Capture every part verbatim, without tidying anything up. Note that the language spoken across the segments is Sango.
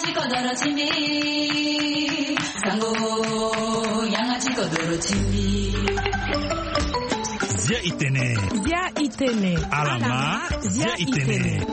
Ti kodoro ti mbi. Sango, yanga ti kodoro ti mbi. Zia i tene. Zia i tene. Alama, zia i tene.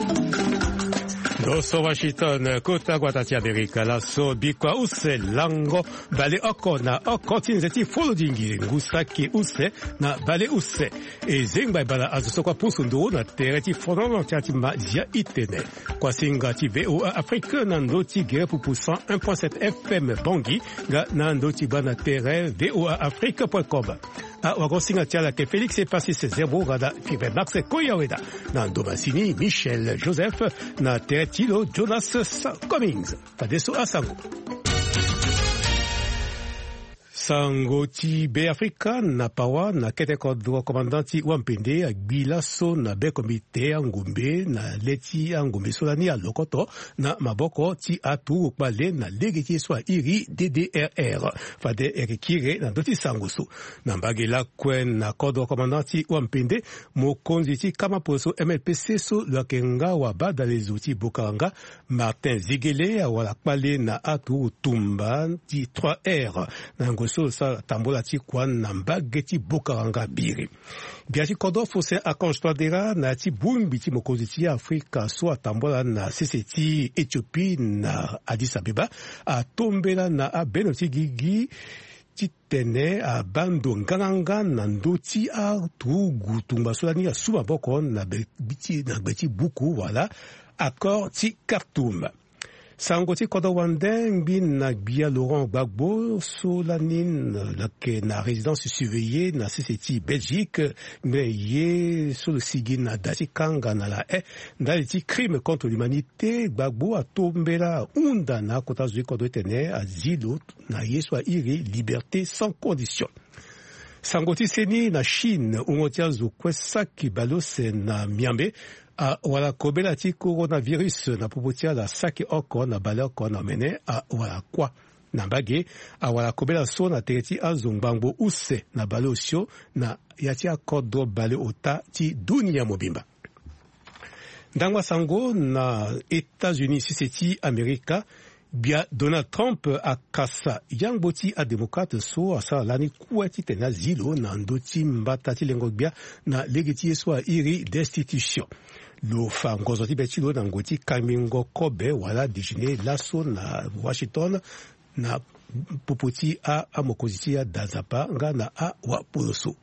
Ndo so Washington, kota gbata ti Amerika, laso bikua use lango baleoko na oko ti nze ti folodingi, ngu saki use na baleuse. E zengba e bana azo so kua pusu nduru na tere ti fonono ti a ti ma zia i tene. Kuasinga ti V O A Afrique na ndö ti gere pupu cent un point sept F M Bangui, nga na ndö ti gba na tere V O A Afrique point com. Awagosinga ti ala ayeke Félix Epasis Zerbo, nga na Five Max Koyaweda. Na ndo masini, Michel Joseph, na tere ti lo, Jonas Sa-, Cummings. Fadeso asango. Sango ti Beafrika na Pawa, na kete kodro, commandant ti Wampende agbi laso na be komite angombe na le ti angombe so lani alokoto na maboko ti aturugu kpale na lege ti ye so airi D D R R. Fade e yeke kiri na ndö ti sango so. Na mbage lakue na kodro, commandant ti Wampende, mokonzi ti kama poroso M L P C so lo yeke nga wa badalezo ti Bokaranga, Martin Zigele awara kpale na aturugu tumba ti trois R. Na yango so lo sara tambola ti kua na mbage ti Bokaranga Biri. Gbia ti kodro Faustin Archange Touadéra na ya ti bongbi ti mokonzi ti Afrika so atambola na sese ti Éthiopie na Addis Abeba atombela na abeno ti gigi titene abaa ndo nganganga na ndö ti aturugu tungba so lani asu maboko na gbe ti, na gbe ti buku wala accord ti Khartoum. Sango ti kodro wande ngbi na gbia Laurent Gbagbo so lani lo yeke na résidence surveillée na sese ti Belgique, ngbene ye so lo sigi na da ti kanga na la haie ndali ti crime contre l'humanité. Gbagbo atombela hunda na akota zo ti kodro titene azi lo na ye so airi liberté sans condition. Sango ti seni na Chine, wungo ti azo kue saki baleuse na miambe awara kobela ti coronavirus na popo ti ala saki oko na baleoko na omene awara kuâ. Na mbage, awara kobela so na tere ti azo ngbangbo use na baleosio na ya ti akodro baleota ti dunia mobimba. Ndangba sango na États-Unis, sese ti Amerika, gbia Donald Trump akasa yangbo ti adémocrate so asara lani kue titene azi lo na ndö ti mbata ti lengo gbia na lege ti ye so airi destitution. Lo fa ngozo ti be ti lo na ngoi ti kangbingo kobe wala déjeuner laso na Washington na popo ti a, amokonzi ti ada Nzapa nga na awapoloso.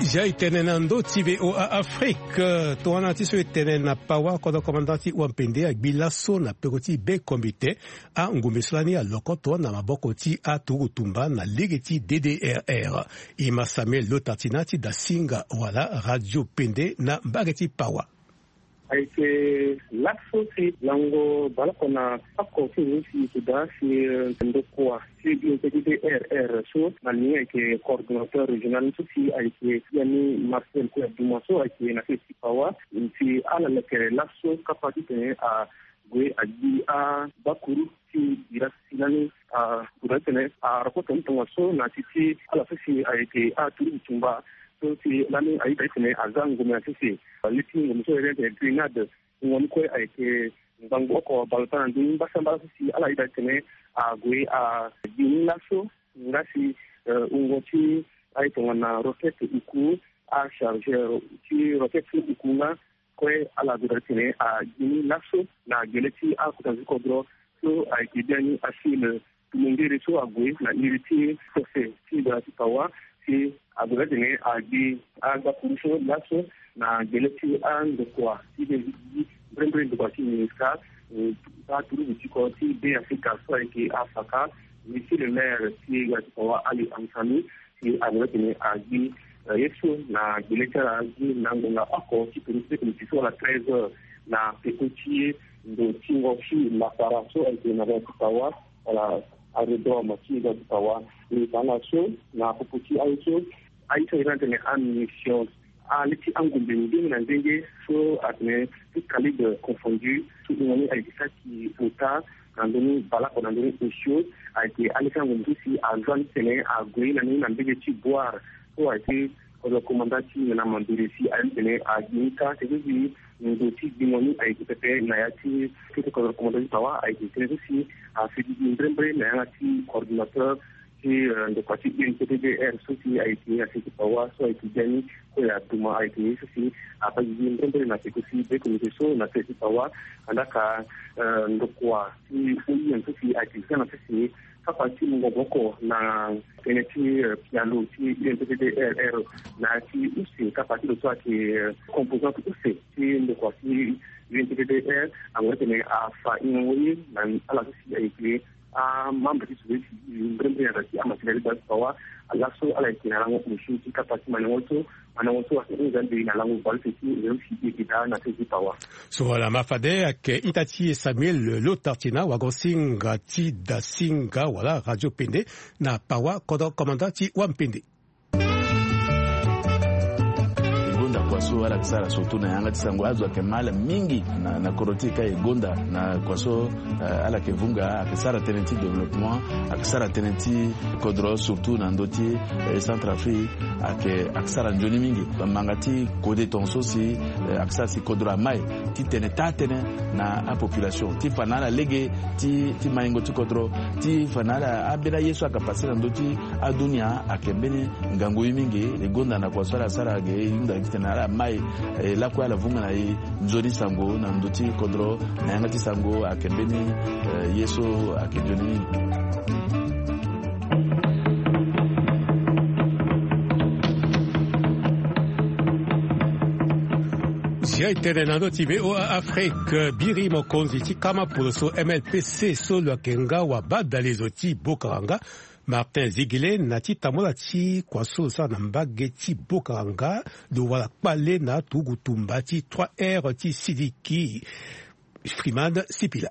Zia e tene na ndö ti V O A Afrique, tongana ti so e tene na Pawa, kodro komanda ti Wampende agbi laso na peko ti be komite angombe so lani alokoto na maboko ti aturugu tumba na lege ti D D R R. E ma Samuel Lotartina ti Dasinga wala Radio Pende na mbage ti Pawa. Ayeke laso si lango baleoko na oko ti ngu si e da si ndokua ti D D R R so na ni ayeke coordonnateur régional so si ayeke ya ni Marcel Koya Duma so ayeke na sese ti Pawa. Si ala leke laso kapa titene ague agbi abakuru ti bira si lani ague titene arokoto ni tongaso na ya ti ala so si ayeke aturugu tumba so si lani ayeda titene aza ngombe na sese. Leti ngombe so ayeke titene grenade. Wungo ni kue ayeke ngbangbo oko baleota na ndö ni mbasambala so si ala yeda titene ague agbi ni laso. Nga si wungo ti aye tongana roquette uku, achargeur ti roquette ti uku nga kue ala gue daa titene agbi ni laso na gele ti akota zo ti kodro so ayeke biani Achille Tumongere so ague na iri ti sese ti gbara ti Pawa si ague daa titene agbi agbakuru so laso na gele ti andokua ti be gigi mbrembre ndokua ti Minusca, aturugu ti kodro ti Beafrika so ayeke afaka, Monsieur le maire ti gbara ti Pawa Ali Amsami, si ague titene agbi ye so na gbele ti ala gi na ngonga oko ti tene ti miti so wala treize heures na peko ti ye ndo ti ngo ti lapara so ayeke na gbara ti Pawa wala aérodrome ti gbara ti Pawa. Ni tanga so na popo ti aye so, aye so ayeke na tene amunition, aleti angombe ndenge na ndenge so atene tout calibre confondu so wungo ni ayeke saki ota na ndoni baleoko na ndoni osio. Ayeke aleke angombo so si aza ni titene ague na ni na mbege ti Bouar so ayeke kodro komanda ti nena mambere si aye ni titene ague ni kâ. Tënë so si ndo ti gbingo ni ayeke pepe na ya ti kete kodro komanda ti Pawa ayeke tënë so si afeti gi mbrembre na yanga ti coordinateur ti ndokua ti U N P T D R so si ayeke na se ti Pawa so ayeke bia ni kue aduma ayeke ye so si abaa gigi mbrembre na peko si be comité so na se ti Pawa. Andaa ka ndokua ti U I M so si ayeke za na se si kapa ti mungo maboko na tënë ti pialo ti U N P T D R na ya ti use kapa ti lo so ayeke composante use ti ndokua ti U N P T D R. Ango titene afa hingango ye na ala so si ayeke amembre ti société civile mbrembre na yanga ti amatériel ti base Pawa. Laso ala yeke na lango osio ti kapa ti mandango so, mandango so ayeke hunda nde na lango baleuse ti réseau ti e ti daa na se ti Pawa. So wala ma fade ayeke ita ti e Samuel Lotartina wagosinga ti Dasinga wala Radio Pende na Pawa, kodro komanda ti Wampende. E gonda kua so ala yeke sara surtout na yanga ti sango azo ayeke mal mingi na, na kodro ti e ka e gonda na kua so, eh, ala yeke vunga ayeke sara tënë ti développement, ayeke sara tënë ti kodro surtout na ndö ti, eh, Centrafrique ayeke, ayeke sara nzoni mingi. Manga ti kode tongaso si, eh, ayeke sara si kodro amai titene taa tënë na apopulation ti fa na ala lege ti, ti maingo ti kodro ti fa na ala ambeni aye so ayeke pase na ndö ti adunia ayeke mbeni ngangu ye mingi. E gonda na kua so ala sara ge e hunda titene ala mai, eh, lakue ala vunga na e nzoni sango na ndö ti kodro na yanga ti sango ayeke mbeni, eh, ye so ayeke nzoni mingi. Zia e tene na ndö ti V O A Afrique, biri mokonzi ti kama poloso M L P C so lo yeke nga wa badalezo ti Bokaranga, Martin Zigele, na ti tambula ti kua so lo sara na mbage ti Bokaranga, lo wara kpale na aturugu tumba ti trois R ti Sidiki. Freeman Sipila.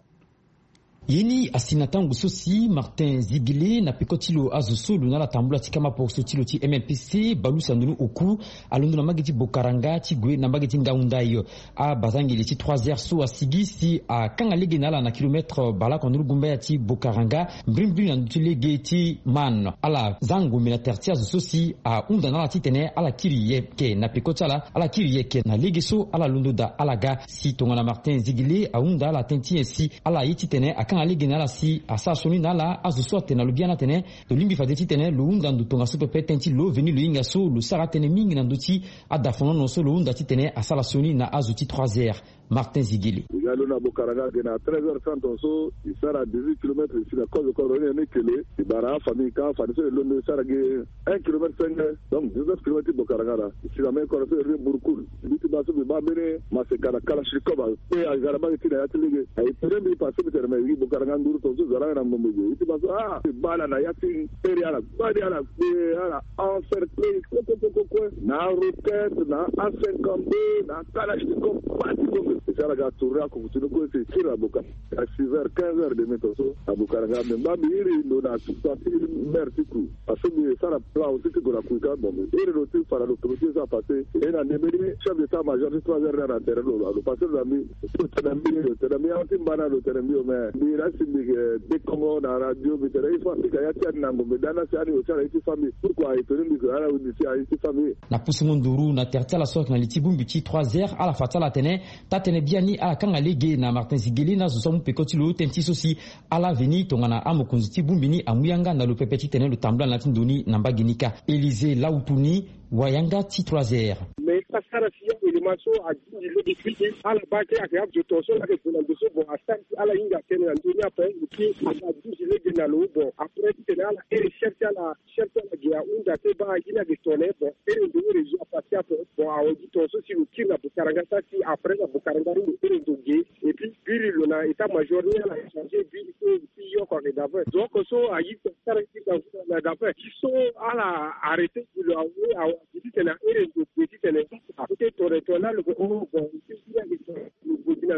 Ye ni asi na tango so si Martin Zigele na peko ti lo azo so lo na ala tambula ti kama poroso ti lo ti M L P C balusa ndoni oku alondo na mbage ti Bokaranga ti gue na mbage ti Ngaoundai. Abazangeli ti trois R so asigi si akanga lege na ala na kilomètre baleoko na nduru gumbaya ti Bokaranga, mbrimbri na ndö ti lege ti Man. Ala za ngombe na tere ti azo so si ahunda na ala titene ala kiri yeke na peko ti ala, ala kiri yeke na lege so ala londo daa ala ga. Si tongana Martin Zigele ahunda ala tënë ti nyen si ala ye titene akanga lege na ala si asara sioni na ala, azo so atene na lo biani atene lo lingbi fade titene lo hunda ndo tongaso pepe tënë ti lo veni lo hinga so lo sara atënë mingi na ndö ti adafonono so lo hunda titene asara sioni na azo ti trois R. Martin Zigele. E ga lo na Bokaranga ayeke na treize heures trente tongaso, e sara dix-huit kilomètres, e si na kozo kodro ni na ni kele, e bara afamille ka, afamille so e londo e sara gi un kilomètre cinq, donc dix-neuf kilomètres ti Bokaranga laa. E si na mbeni kodro so e iri ni Burkul. Mbi ti baa so mbi baa mbeni maseka na kalachnikov akpe aga na mbage ti na ya ti lege. Aye tene mbi passé mbi tene me e gi Bokaranga nduru tongaso zo alanga na ngombe ge. Mbi ti baa so ah, mbi baa ala na ya ti tere ala gbani ala kpe ala encerclé kue kue kue kue na roquette na A cinquante-deux na kalachnikov, baa ti ngombe. E si ala ga tourner akuku ti ni kue si e kiri na Bokaranga. À six heures, quinze heures et demie tongaso na Bokaranga. Me mba mbi iri ndo na parti ti mer ti ku. Parce que mbi sara plan aussi ti gue na kui ka. Bon, mbi iri ndo ti fa na lo toro ti e so apassé. E na ndembe ni chef d'état major ti trois R ni na tere lo, lo passé lo na mbi. Lo tene na mbi, lo tene na mbi, ahon ti mba na lo tene na mbi o, mais mbi na si mbi yeke dekongo na radio, mbi tene il faut apika ya ti ani na ngombe da na si ani lo ti ala ye ti fa mbi. Pourquoi e tene mbi ke ala windi ti aye ti fa mbi. Na pusungo nduru na tere ti ala so ayeke na li ti bongbi ti trois R, ala fa ti ala atene taa-tënë biani ala kanga lege na Martin Zigele na azo so amu peko ti lo tënë ti so si ala veni tongana amokonzi ti bongbi ni amu yanga na lo pepe titene lo tambula na ya ti ndo ni na mbage ni kâ. Élysée Lautuni, wayanga ti trois R. Mais e sara si ya élément so aduti lege ti ala baa kâ ayeke azo tongaso laa ayeke gue na ndo so bon asara si ala hinga tënë na ndö ni ape. Eke aduti lege na lo bon après titene ala iri chef ti ala, chef ti ala ge ahunda te baa gi ni ayeke tongana nyen. Bon iri ndo iri zo apassé ape. Bon awe gi tongaso si lo kiri na Bokaranga sara si après na Bokaranga ni lo iri ndo ge. Et puis biri lo na état major ni ala changé biri so si yoko ayeke dafe. Donc so aye ti asara ti dafe na dafe ti so ala arrêté gi lo awe awe. Gi titene airi ndo ge titene akote tore tore na lo ke o bon ti biri ayeke tore lo gue gi ni.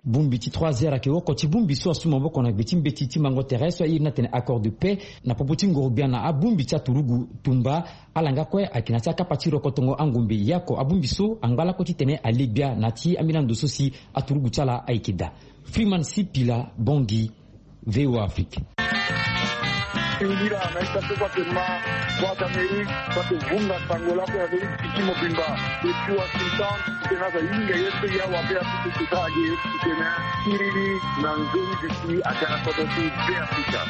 Bongbi ti trois heures ayeke oko ti bongbi so asu maboko na gbe ti mbeti ti mango tere so airi ni atene accord de paix na popo ti ngorogbia na abongbi ti aturugu tumba. Ala nga kue ayeke na ya ti akapa ti rokotongo angombe yako abongbi so angba lakue titene ale gbia na ya ti ambeni ando so si aturugu ti ala ayeke daa. Freeman Sipila, Bangui, V O A Afrique. Singila na ita so kua ke ma kua ti Amerike kua ke vunga sango lakue na ndo ti piki mobimba. Depuis Washington titene aza hinga ye so ya wa be apupu kota age titene akiri ni na nzoni duti aga na kodro ti Be Afrika.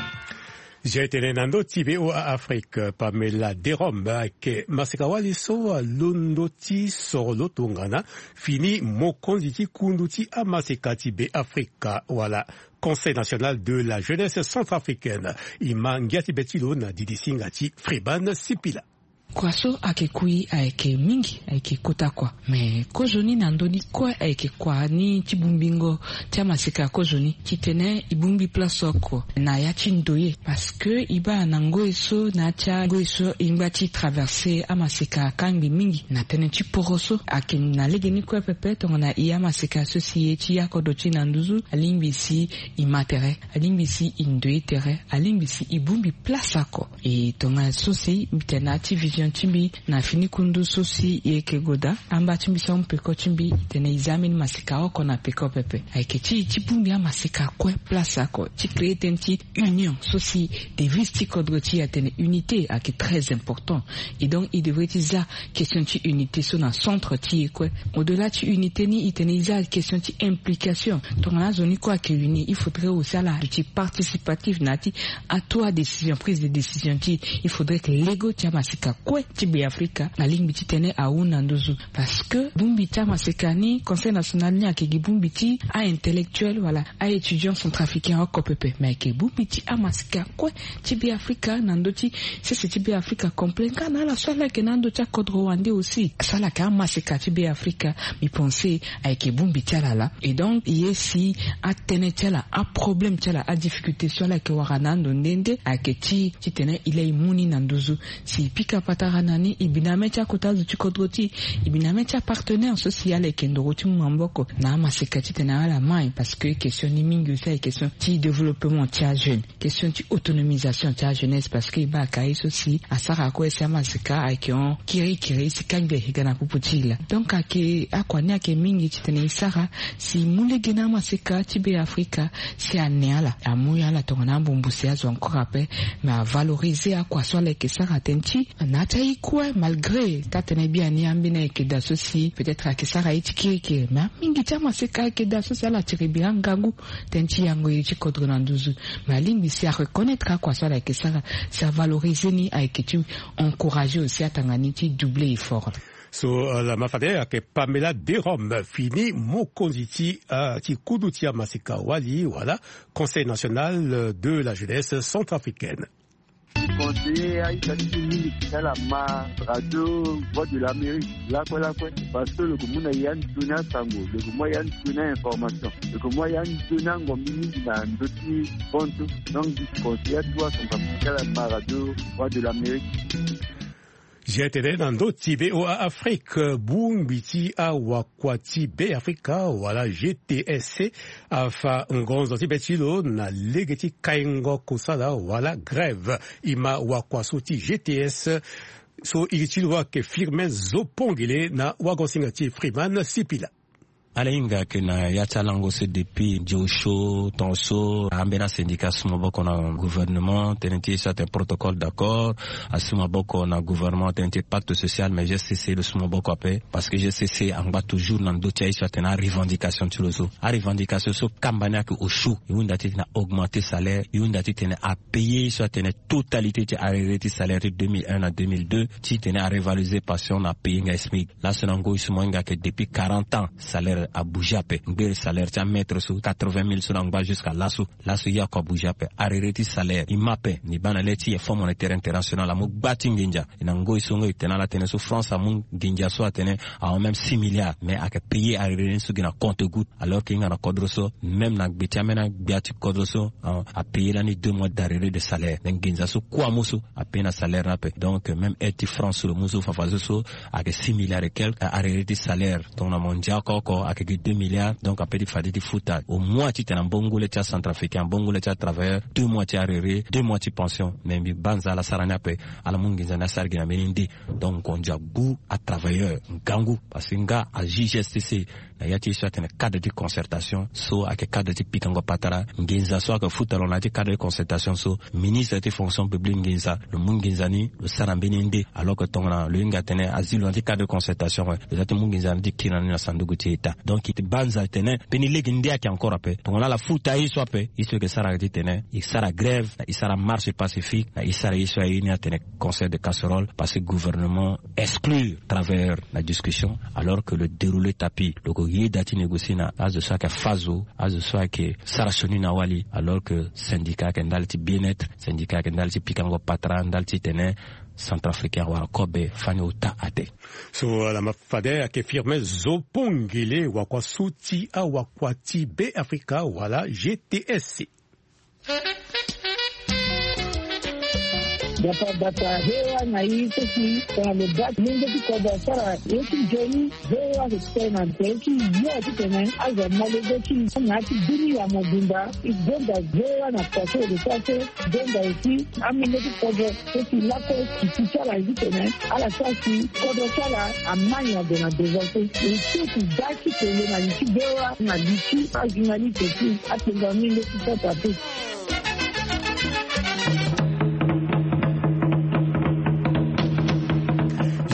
Zia tene na ndo ti V O A Afrique, Pamela Derom ayeke maseka wali so alondo ti soro lo tongana fini mokonzi ti kundu ti amaseka ti Be Afrika wala Conseil national de la jeunesse centrafricaine. E ma ngia ti be ti lo na didi singa ti Freeman Sipila. Kua so ayeke kui ayeke mingi, ayeke kota kua. Me kozoni na ndö ni kue ayeke kua ni ti bongbingo ti amaseka kozoni titene e bongbi place oko na ya ti ndoye. Parce que e baa na ngoi so na ya ti angoi so e ngba ti traverse amaseka akangbi mingi na tënë ti poro so. Ayeke na legeni kue pepe tongana e amaseka so si e ye ti ya kodro ti e na nduzu alingbi si e ma tere, alingbi si e ndoye tere, alingbi si e bongbi place oko. E tongana so si mbi tene na ya ti vision ti mbi na fini kundu so si e yeke goda amba ti mbi so amu peko ti mbi, e tene e za ambeni maseka oko na peko pepe. Ayeke ti e ti bongbi amaseka kue place oko ti créer tënë ti union so si devise ti kodro ti e atene unité ayeke très important. Et donc e devrait ti za question ti unité so na centre ti e kue. Au delà ti unité ni e tene e za question ti implication. Tongana azo ni kue ayeke uni, il faudrait aussi ala duti participatif na ya ti atu adécision, prise de décision ti e. Il faudrait que lego ti amaseka kue ti Be Afrika alingbi titene ahunda nduzu. Parce que bongbi ti amaseka ni, Conseil national ni ayeke gi bongbi ti a-intellectuel wala a-étudiant centrafricain oko pepe, me ayeke bongbi ti amaseka kue ti Be Afrika na ndö ti sese ti Be Afrika complet nga na ala so ala yeke na ando ti akodro wande aussi. So ala yeke amaseka ti Be Afrika, mbi pense ayeke bongbi ti ala laa. Et donc e ye si atënë ti ala, aproblème ti ala, adifficulté so ala yeke wara na ando nde nde ayeke ti titene e laa e mu ni na nduzu. Si e pika patara na ni, e bi na mê ti akota zo ti kodro ti e, e bi na mê ti apartenaire so si ala yeke ndoro ti mu maboko na amaseka titene ala mai. Parce que question ni mingi aussi ayeke question ti développement ti ajeune, question ti autonomisation ti ajeunesse. Parce que e baa ka ye so si asara kue si amaseka ayeke hon kirikiri si kangbi ayeke ga na popo ti e laa. Donc ayeke akua ni ayeke mingi titene e sara si e mu lege na amaseka ti Be Afrika si ane ala, amu ala tongana ambumbu si azo encore ape. Me avaloriser akua so ala yeke sara tënë ti na ya ti aye kue, malgré taa-tënë biani ambeni ayeke daa so si peut-être ayeke sara ye ti kirikiri. Me amingi ti amaseka ayeke daa so si ala tiri bira ngangu tënë ti yango iri ti kodro na nduzu. Me alingbi si areconnaitre akua so ala yeke sara, si avaloriser ni ayeke ti encourager aussi atanga ni ti doubler effort. So, euh, la ma fade ayeke Pamela Derom, fini mokonzi ti, euh, ti kudu ti amaseka wali wala Conseil national de la jeunesse centrafricaine. Conseiller aita ti mingi ti ala ma radio Voix de l'Amérique lakue lakue, parce que lo ke mu na ya ni toni asango, lo ke mu ya ni toni ainformation, lo ke mu ya ni toni angombi mingi na ndö ti bontu. Donc mbi conseiller atu asango ti ala ma radio Voix de l'Amérique. Zia tene na ndö ti V O A Afrique, bongbi ti awakua ti Be Afrika wala G T S C afa ngonzo ti be ti lo na lege ti kaingo kosala wala grève. E ma wakua so ti G T S so iri ti lo ayeke Firmin Zopongele na wagosinga ti Freeman Sipila. Ala hinga ayeke na ya ti alango so depuis ndio so tongaso ambeni asyndicat asu maboko na gouvernement tënë ti so atene protocole d'accord, asu maboko na gouvernement tënë ti pacte social, mais G C C lo su maboko ape. Parce que G C C angba toujours na ndö ti aye so atene arevendication ti lo so. Arevendication so kamba ni ayeke osio, e hunda titene augmenter salaire, e hunda titene apayer ye so atene totalité ti arriéré ti salaire ti deux mille un na deux mille deux, titene arévaloriser pension na apayer nga SMIC. Laso na ngoi so mo hinga ayeke depuis quarante ans salaire abouger ape. Ngbere salaire ti amaître so quatre-vingt mille so lo angba jusqu'à laso. Laso ye oko abouger ape. Arriéré ti salaire e ma ape. Ni baa na le ti Fonds monétaire international amu gba ti nginza. E na ngoi so ngoi e tene ala tene so France amu nginza so atene ahon même six milliards, mais ayeke payer arriéré ni so gi na compte goutte. Alors que e hinga na kodro so, même na gbe ti ambeni agbia ti kodro so, apayer lani deux mois d'arriéré de salaire. Mais nginza so kue amu so apayer na salaire ni ape. Donc même aide ti France so lo mu so fafadeso so ayeke six milliards et quelque, arriéré ti salaire. Tongana mo ndia oko oko Ayeke gi deux milliards, donc ape ti fade ti futa au moins titene ambongo le ti acentrafricain, ambongo le ti atravailleur, deux mois ti arrerer, deux mois ti pension. Mais mbi banza ala sara ni ape. Ala mu nginza ni asara gi na mbeni nde. Donc ngonza gu atravailleur ngangu, parce que nga a G G S T C na ya ti ye so atene cadre ti concertation so ayeke cadre ti pikango patara. Nginza so ayeke futa lo na ya ti cadre ti concertation so, ministre ti fonction publique nginza, lo mu nginza ni lo sara mbeni nde. Alors que tongana lo hinga atene azi lo na ti cadre de concertation, lo za ti mu nginza ni ti kiri na ni na sanduku ti état. Donc e ti banza tene mbeni lege nde ayeke encore ape. Tongana ala futa ye so ape, ye so e yeke sara ayeke titene e sara grève, na e sara marche pacifique, na e sara ye so aye ni atene concert de casserole, parce que gouvernement exclure travailleur na discussion, alors que lo dérouler tapis, lo yeke yeda ti négocier na azo so ayeke fâ zo, azo so ayeke sara sioni na wali, alors que syndicat ayeke ndali ti bien-être, syndicat ayeke ndali ti pikango patara, ndali titene centrafricain awara kobe fani ota ate. So ala ma fade ayeke Firmin Zopongele, wakua so ti awakua ti Be Afrika wala G T S C. Bata bata, V O A na i so si tongana lo baa ti lenge ti kodro asara ye ti nzoni, V O A ayeke tene na tere ti yo titene azo amolenge ti na ya ti bini ya mobimba. E gonda V O A na poto lo sara so, e gonda aussi amolenge ti kodro so si lakue ti ti ti ala ye titene ala sara si kodro ti ala ama nyen ague na devant so. E so ti da ti tene na li ti V O A na li ti ajournaliste ti atenga mingi ti Centrafrique.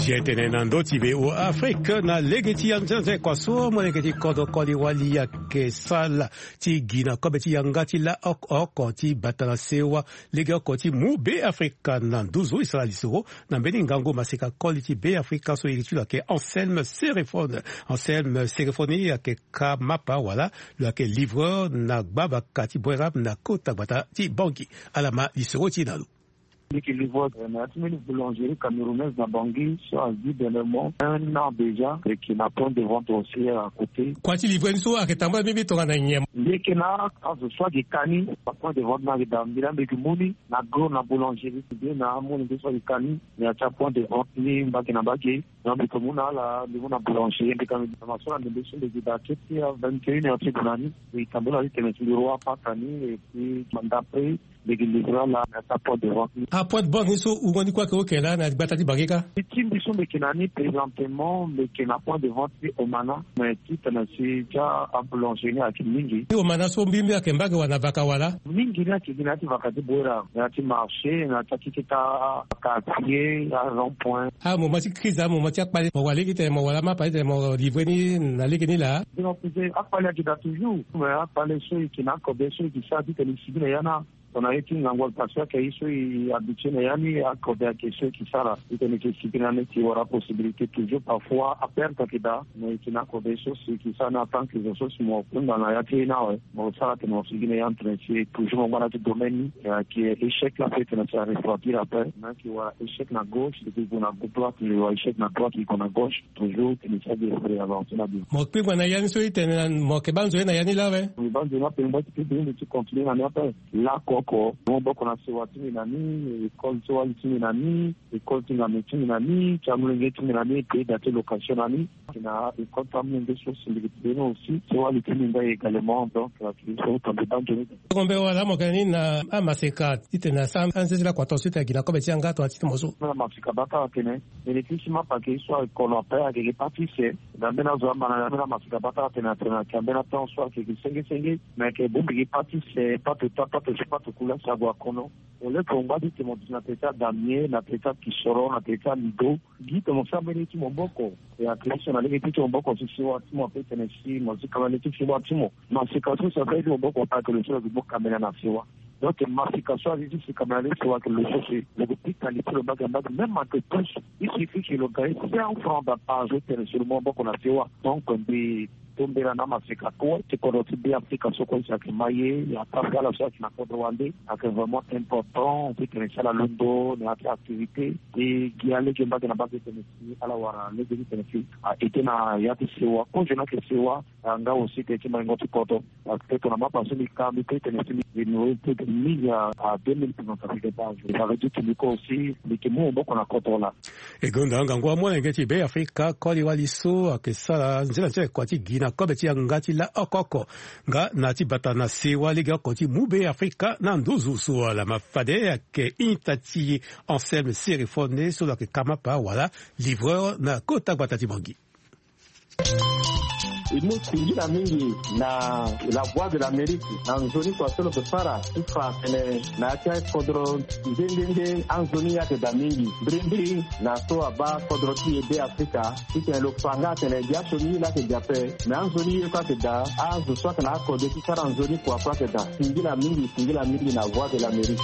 Zia tene na ndö ti V O A Afrique na lege ti anzenze kua so molenge ti kodro koli wali ayeke sala ti gi na kobe ti yanga ti la oko oko ti bata na sewa. Lege oko ti mu Be Afrika na nduzu e sara lisoro na mbeni ngangu maseka koli ti Be Afrika so iri ti lo ayeke Anselme Serephone. Anselme Serephone ayeke ka mapa wala lo yeke livreur na gbavaka ti Boeram na kota gbata ti Bangui. Ala ma lisoro ti e na lo. Mbi yeke livreur na ya ti mbeni boulangerie camerounaise na Bangui so azi dernièrement un an déjà. Mbi yeke na point de vente aussi à côté. Kua ti livrer ni so ayeke tambula mbi mbi tongana nyen? Mbi yeke na azo so ayeke ka ni, apoint de vente ni ayeke daa mbi laa mbi yeke mu ni na gros na boulangerie ti mbi na amolenge so ayeke ka ni. Na ya ti apoint de vente ni mbage na mbage. Donc mbi yeke mu na ala, mbi mu na boulangerie, mbi ka mbi na masoro na ndembe so mbi yeke daa kete a vingt et une heures ti gue na ni. Mbi tambula ti tene ti mbi roi apata ni et puis d'après mbi yeke livrer ala na ya ti apoint de vente ni. Apoint de vente ni so wungo ni kue ayeke oke laa na gbata ti Bangui kâ? Ti mbi so mbi yeke na ni présentement mbi yeke na point de vente ti Omana. Mais titene si ti aboulangerie ni ayeke mingi. Ti Omana so mbi mbi ayeke mbage wala na vaka wala? Mingi ni ayeke gi na ya ti vaka ti Boeram, na ya ti marché, na ya ti akeke ti quartier, arond point. Amoment ti crise, amoment ti akpale, mo wara lege titene mo wara mapa titene mo livrer ni na lege ni laa? Akpale ayeke daa toujours, mais akpale so e yeke na akobe so e yeke sara titene e sibi na ya ni. Tongana ye ti ngangu ayeke, parce que ayeke ye so e habitué na ya ni, akobe ayeke so e yeke sara titene e yeke sibi na ni, e wara possibilité toujours. Parfois aperte ayeke daa, mais e yeke na akobe so si e yeke sara ni en tant que zo so si mo kunda na ya ti ye ni awe. Mo sara atene mo sigi na ya ni titene si toujours mo ngba na ya ti domaine ni. Ayeke échec la ape titene si arefroidir ape. Mo yeke wara échec na gauche, e yeke gue na droite, e wara échec na droite, e gue na gauche. Toujours titene si ague avancer na bien. Mo kpingba na ya ni so e tene na mo yeke baa nzoni na ya ni laa awe? Mbi baa nzoni ape, mbi baa ti kpingba, mbi ti continuer na ni ape. Lakoko maboko na sewa ti mbi na ni, école ti wali ti mbi na ni, école ti ngame ti mbi na ni, ti amolenge ti mbi na ni, pays da ti location na ni. Na école ti amolenge so si mbi yeke ti beni aussi, ti wali ti mbi nga également. Donc la solution tongana mbi baa nzoni. Tongombe wala mo yeke na ni na amaseka titene asara anzenze lakua tongaso titene agi na kobe ti yanga tongana ti ti mo so? Na maseka bata atene, mbi yeke ti si mapa ayeke ye so ayeke kolo ape, ayeke ye pâtisserie. Na mbeni azo ama na ya mbeni amaseka bata atene, atene ayeke na mbeni atemps so ayeke gi senge senge. Mais ayeke bongbi gi pâtisserie, pato ta, pato so, pato kula si ague akono. Au lieu que mo ngba ti tene mo duti na tere ti adamier, na tere ti akisoro, na tere ti alido, gi tene mo sara mbeni ye ti maboko. E ayeke ye so na lege ti ti maboko si sewa ti mo ape tene si mo zi kamera ti sewa ti mo. Maseka so si ape ye ti maboko ape ayeke lo so lo yeke mu kamera na sewa. Donc maseka so azi ti si kamera ti sewa ayeke lo so si lo yeke pika li ti lo mbage na mbage, même ayeke plus. Il suffit que lo gagne cent francs par jour tene si lo mu maboko na sewa. Donc mbi tombela na amaseka kue ti kodro ti Be Afrika so kue si ayeke ma ye, ya parce que ala so ayeke na kodro wande ayeke vraiment important. Ti tene si ala londo na ya ti activité ti gi alege mbage na mbage tene si ala wara lege ti tene si a ete na ya ti sewa. Kozo ni ayeke sewa. Nga aussi ke ti maingo ti koto. Parce que tongana mapa so mbi ka mbi pe tene si mbi mbi pe tene mingi a deux mille tongana sa fike base. Sa veut dire que mbi ko aussi mbi ke mu maboko na koto wala. E gonda ngangu amolenge ti Be Afrika koli wali so ayeke sara nzela nzela kua ti gi na kobe ti yanga ti la oko oko. Nga na ti bata na sewa lege oko ti mu Be Afrika na nduzu so wala ma fade ayeke ita ti Anselme Sérifone so lo yeke kamapa wala livreur na kota gbata ti Bangui. E mu singila mingi na La Voix de l'Amérique na nzoni kua so lo yeke sara ti fa tene na ya ti akodro nde nde nde anzoni ayeke daa mingi mbirimbiri na so abaa kodro ti e Be Afrika. Titene lo fa nga atene biasioni ye laa ayeke daa ape. Me anzoni ye kue ayeke daa azo so ayeke na akode ti sara nzoni kua kue ayeke daa. Singila mingi, singila mingi na Voix de l'Amérique.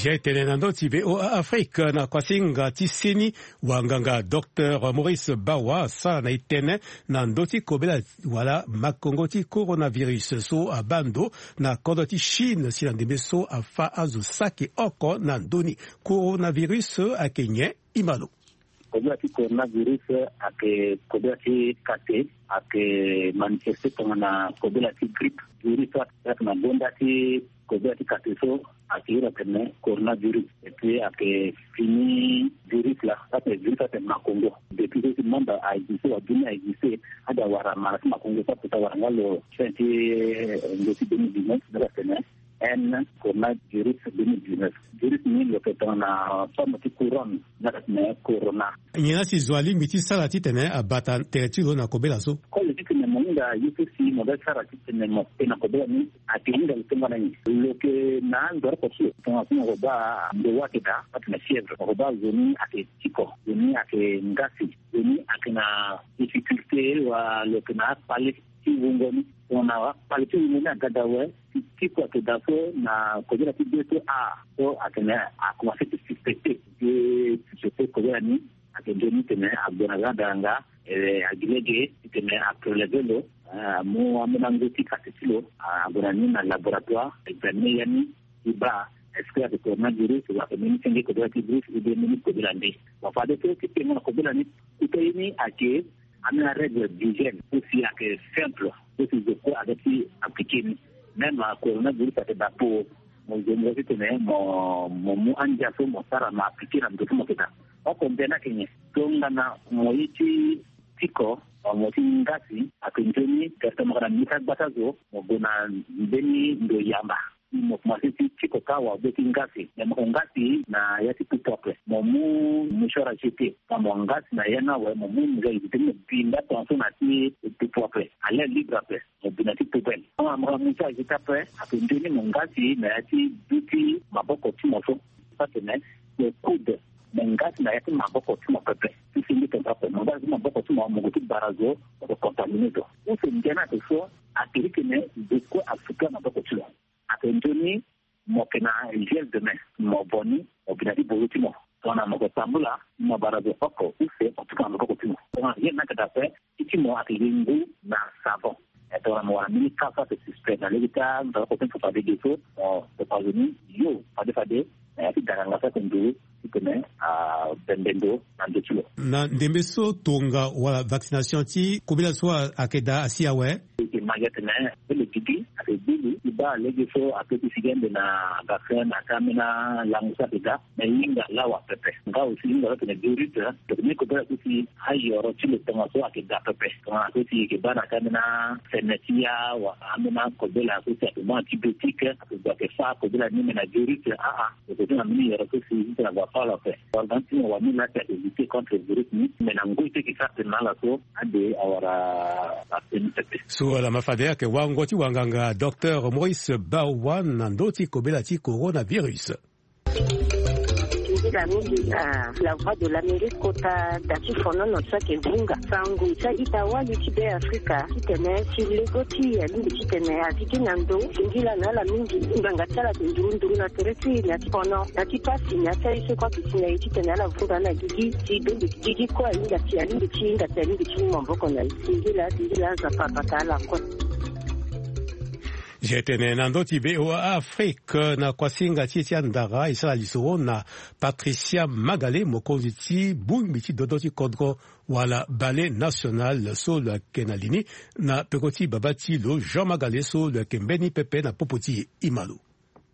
Zia etene na ndö ti V O A Afrique na kuasinga ti seni wanganga Docteur Maurice Bawa asara na etene na ndö ti kobela wala makongo ti coronavirus so abaa ndo na kodro ti Chine si na ndembe so afa azo saki oko na ndö ni. Coronavirus ayeke nyen? Imalo. Kobela ti coronavirus ayeke kobela ti kate, ayeke manifeste tongana kobela ti grippe. Virus so ayeke na gonda ti kobela ti kate so ayeke iri atene coronavirus. Et puis ayeke fini virus laa, so ayeke virus so ayeke makongo. Depuis so si monde a existe, wa dunia a existe, ade awara mara ti makongo so aputa wara nga lo fin ti, eh, ndo ti deux mille dix-neuf, nga atene N coronavirus deux mille dix-neuf. Virus ni lo yeke tongana forme ti couronne, nga atene corona. Nyen la si zo alingbi ti sara titene abata tere ti lo na kobela so? Koli titene mo hinga ye so si mo ga sara titene mo pe na kobela ni, ayeke hinga lo tongana nyen? Lo yeke na ando oko so tongana so mo ko baa ndo wa ayeke daa, atene fièvre, mo ko baa zo ni ayeke tiko, zo ni ayeke ngasi, zo ni ayeke na difficulté, wa lo yeke na akpale ti wungo ni. Tongana akpale ti wungo ni aga daa awe, ti, ti kua ayeke daa so na kobela ti deux to a so atene akomanse ti suspecté. Ti suspecté kobela ni ayeke nzoni titene ague na ga daranga, eh, agi lege titene apreleve lo, eh, amu ambeni ango ti kate ti lo, ah, ague na ni na laboratoire, examine ya ni, ti baa est-ce que ayeke coronavirus, wala ayeke mbeni senge kobela ti virus, ou bien mbeni kobela nde. Bon, fade so ti tengo na kobela ni, kota ye ni ayeke ambeni arègle d'hygiène so si ayeke simple, so si zo kue aga ti appliqué ni. Même coronavirus ayeke daa po mo zo mo titene mo, mo mu andia so mo sara mo appliqué na ndo so mo yeke daa. Oko nde ni ayeke nyen? Tongana mo ye ti tiko, mo ti ngasi, ayeke nzoni, tene mo yeke na mbeti agba ti azo, mo gue na mbeni ndo yamba. Mo komanse ti tiko kâ awe, be ti ngasi. Me mo ko ngasi na ya ti pupu ape. Mo mu mouchoir à jeter. Mo ngasi na ya ni awe, mo mu nzai ti mo bi nda tongaso na ti pupu ape. À l'air libre ape. Mo bi na ti poubelle. Tongana mo mouchoir à jeter ape, ayeke nzoni mo ngasi na ya ti duti maboko ti mo so. Atene mo coude, mo ngasi na ya ti maboko ti mo pepe. Ti senge tene ape, mo ngasi ti maboko ti mo, mo gue ti bara zo, mo ko contaminé zo. Use ndia ni ayeke so, ayeke iri tene zo kue asuka maboko ti lo. Ayeke nzoni mo yeke na gel de main, mo vo ni, mo bi na ti bozo ti mo. Tongana mo yeke tambula, mo bara zo oko use, mo tuka na maboko ti mo. Tongana gel ni ayeke daa ape, ti ti mo ayeke gi ngu na savon. Eh, tongana mo wara mbeni ka so ayeke suspect na lege ti angara oko ti mo fa fade ge so, mo kpa zo ni yo fade fade na ya ti daranga so ayeke nduru titene abembe ndo na ndo ti lo. Na ndembe so tonga wala vaccination ti kobela so ayeke daa asi awe. E yeke ma gi atene mbele gigi ayeke gbili ti baa lege so ape ti sigi ande na vaccin na ka ambeni alango so ayeke daa. Me hinga lawa pepe. Nga aussi hinga so atene virus, eh, tene kobela so si ayoro ti lo tongaso ayeke daa pepe. Tongana so si e yeke baa na ka ambeni afene ti ya wala ambeni akobela so si ayeke mu antibiotique, ayeke gue ayeke fâ kobela ni me na virus, ah, ah. Lo yeke ti na mbeni yoro so si titene ague afâ lo ape. Organe ti mo wani laa si ayeke lutter contre virus ni, me na ngoi ti e yeke sara tene na ala so, ade awara ape ni pepe. So ala ma fade ayeke wango ti wanganga Docteur Maurice Bawa na ndö ti kobela ti coronavirus. Singila mingi na La Voix de l'Amérique kota da ti fonono so ayeke vunga sango ti a-ita wali ti Be Afrika titene si lego ti e alingbi titene a gi gi na ndo. Singila na ala mingi. Ngbanga ti ala ayeke nduru nduru na tere ti e na ti fono na ti pasi na ya ti aye so kue ayeke si na e titene ala vunga na gigi ti bembe gigi kue ahinga si alingbi ti hinga si alingbi ti mu maboko na e. Singila, singila, Nzapa abata ala kue. Zi tene na ndö ti VOA Afrique na kuasinga ti e ti andara e sara lisoro na Patricia Magale, mokonzi ti bongbi ti dodo ti kodro wala Ballet National so lo yeke na li ni, na peko ti baba ti lo Jean Magale so lo yeke mbeni pepe na popo ti e. E ma lo.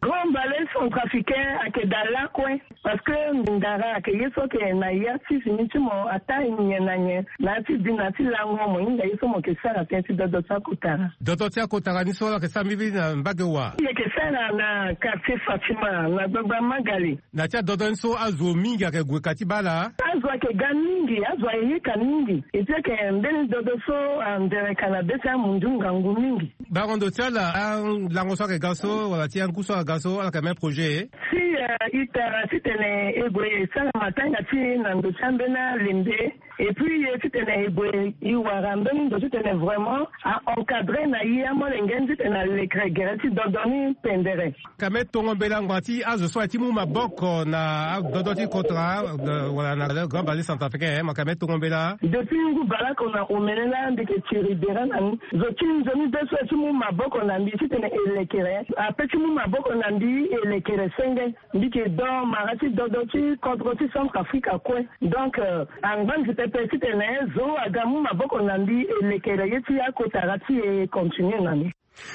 Grand Ballet Centrafricain ayeke daa lakue. Parce que ndara ayeke ye so ayeke na ya ti fini ti mo ataa nyen na nyen na ya ti bi na ya ti lango mo hinga ye so mo yeke sara tënë ti dodo ti akotara. Dodo ti akotara ni so ala yeke sara mbirimbiri na mbage wa? E yeke sara na quartier Fatima na gbagba Magale. Na ya ti adodo ni so azo mingi ayeke gue ka ti baa laa? Azo ayeke ga mingi, azo ayeke ye ka mingi. E ti ayeke mbeni dodo so andere ka na be ti amundu ngangu mingi. Bango ndo ti ala, alango so ayeke ga so wala ti angu so ayeke ga so, ala yeke même projet? Si, eh, e tara titene e gue e sara matanga ti e na ndo ti ambeni alembe, et puis e titene e gue e wara mbeni ndo titene vraiment a encadrer na e amolenge ni titene alekere gere ti dodo ni pendere. Ka me tongo mbela ngbanga ti azo so aye ti mu maboko na adodo ti kotara, eh, wala na Grand Ballet Centrafricain, eh, ma ka me tongo mbela. Depuis ngu bale oko na omene laa mbi yeke tiri bere na ni. Zo ti nzoni be so aye ti mu maboko na mbi titene e lekere ape ti mu maboko na mbi e lekere senge. Mbi yeke do mara ti dodo ti kodro ti Centrafrique kue. Donc, euh, angba nzi pepe titene zo aga mu maboko na mbi e lekere ye ti akotara ti e continue na ni.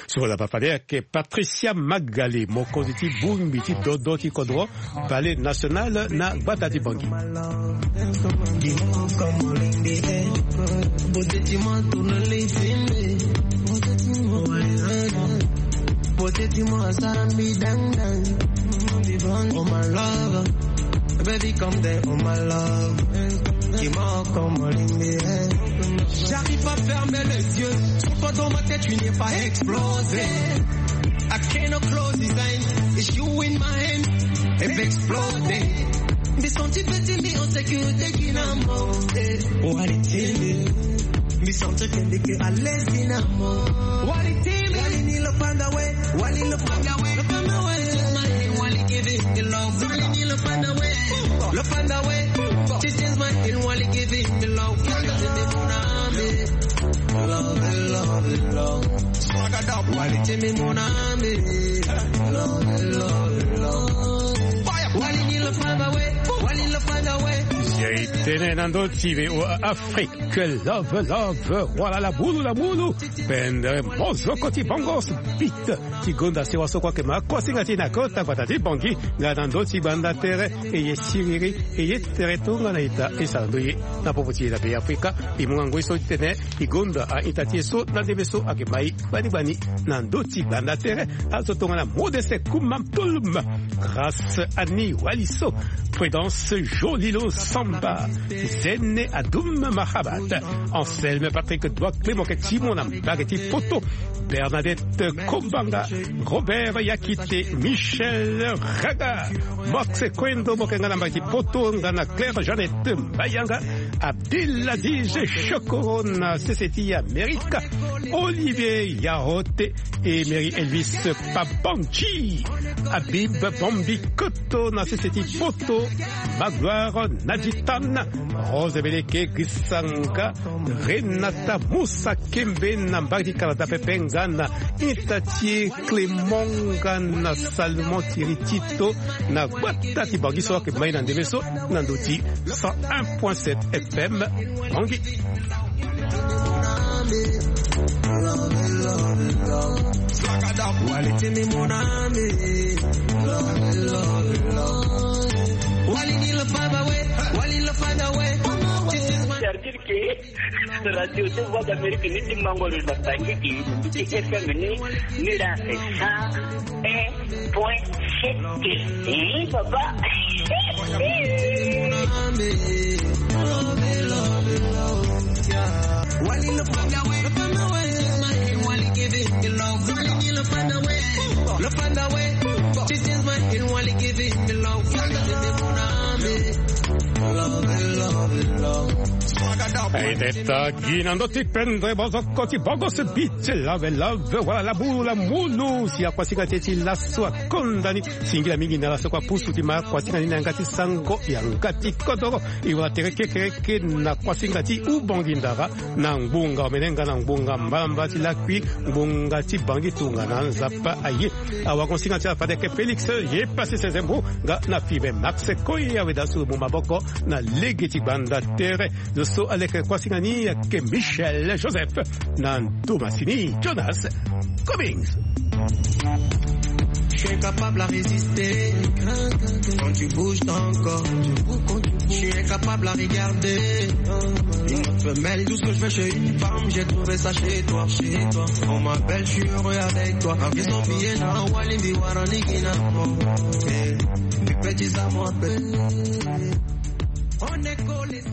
So wala papa de ayeke Patricia Magale, mokonzi ti bongbi ti dodo ti kodro, Ballet National na gbata ti Bangui. Baby, come there, oh my love. Dis-moi comment. J'arrive pas à fermer les yeux. Surtout dans ma tête, tu n'es pas explosé. I cannot close his eyes. It's you in my hand. If exploding. Mbi senti pe ti mbi en sécurité ti na mo. Eh, wali ti mbi. Mbi senti ke mbi ke à l'aise ti na mo. Wali ti mbi. Wali ni lo panda we. Wali lo panda we. Lo panda we. Wali give it the love. Wali ni lo panda we. Lo panda we. This is my thing. Wali give it the love. Wali give it the love. Love, love, love. Swagger up. Wali ti mbi mon ami. Love, love, love. Wali ni lo panda we. Wali lo panda we. Zi tene na ndö ti VOA Afrique. Love, love. Wala la bulu, la bulu. Pendere mozoko ti Bongos Beat. Ti gonda sewa so kue ayeke ma kuasinga ti e na kota gbata ti Bangui, nga na ndö ti gbanda tere, e ye siriri, e ye tere tongana ita, e sara ndö ye na popo ti e na Be Afrika. E mu nga ngoi so titene e gonda a-ita ti e so na ndembe so ayeke ma e gbani gbani na ndö ti gbanda tere. Azo tongana Modeste Kuma Mpulum, Grâce Annie Waliso, Prudence Jolilo Samba, Zene Adoum Mahabat, Anselme Patrick Doua Clément, mo yeke ti mo na mbage ti poto, Bernadette Kombanga, Robert Yakite, Michel Raga, Max Kwendo, mo yeke nga na mbage ti poto, nga na Claire Jeannette Mbayanga, Abdelaziz Chokoro na sese ti Amerika, Olivier Yahote, Emery Elvis Pabanji, Habib Bambi Koto na sese ti poto, Magloire Naditan, Rose Beleke Grisanga, Renata Moussa Kembe na mbage ti Canada pepe, nga na ita ti e Clément, nga na Salomon Thierry Tito na gbata ti Bangui so ayeke ma e na ndembe so na ndö ti cent un point sept F M Bangui. Radio de Voix d'Amérique ni ti mango lo na Bangui ti F M ni, ni la cent un point sept. Eh, papa. Aideta gi na ndö ti pendre bozoko ti bogo se bite lave lave wala labulu la mulu si akuasinga ti e ti laso akonda ni. Singila mingi na laso kua pusu ti ma akuasinga ni na yanga ti sango yanga ti kodoro. E wala tere kekereke na kuasinga ti ubongi ndara na ngbonga omenenga na ngbonga mbalamba ti lakui ngbonga ti bangi tongana nzapa aye. Awakonsinga ti ala fadeke Félix ye pasi sezembo nga na fibe Max Koy awe dasu mu maboko na lege ti gbanda tere. Zo so aleke kuasinga ni ayeke Michel Joseph na ntomasini Jonas Cummings. Je suis incapable à résister. Quand tu bouges ton corps, je suis incapable à regarder une autre femelle. Tout ce que je veux chez une femme, j'ai trouvé ça chez toi, chez toi. On m'appelle, je suis heureux avec toi. Ils ont bien na Walimbi Waranigina. Eh, les petits amours, on est collés.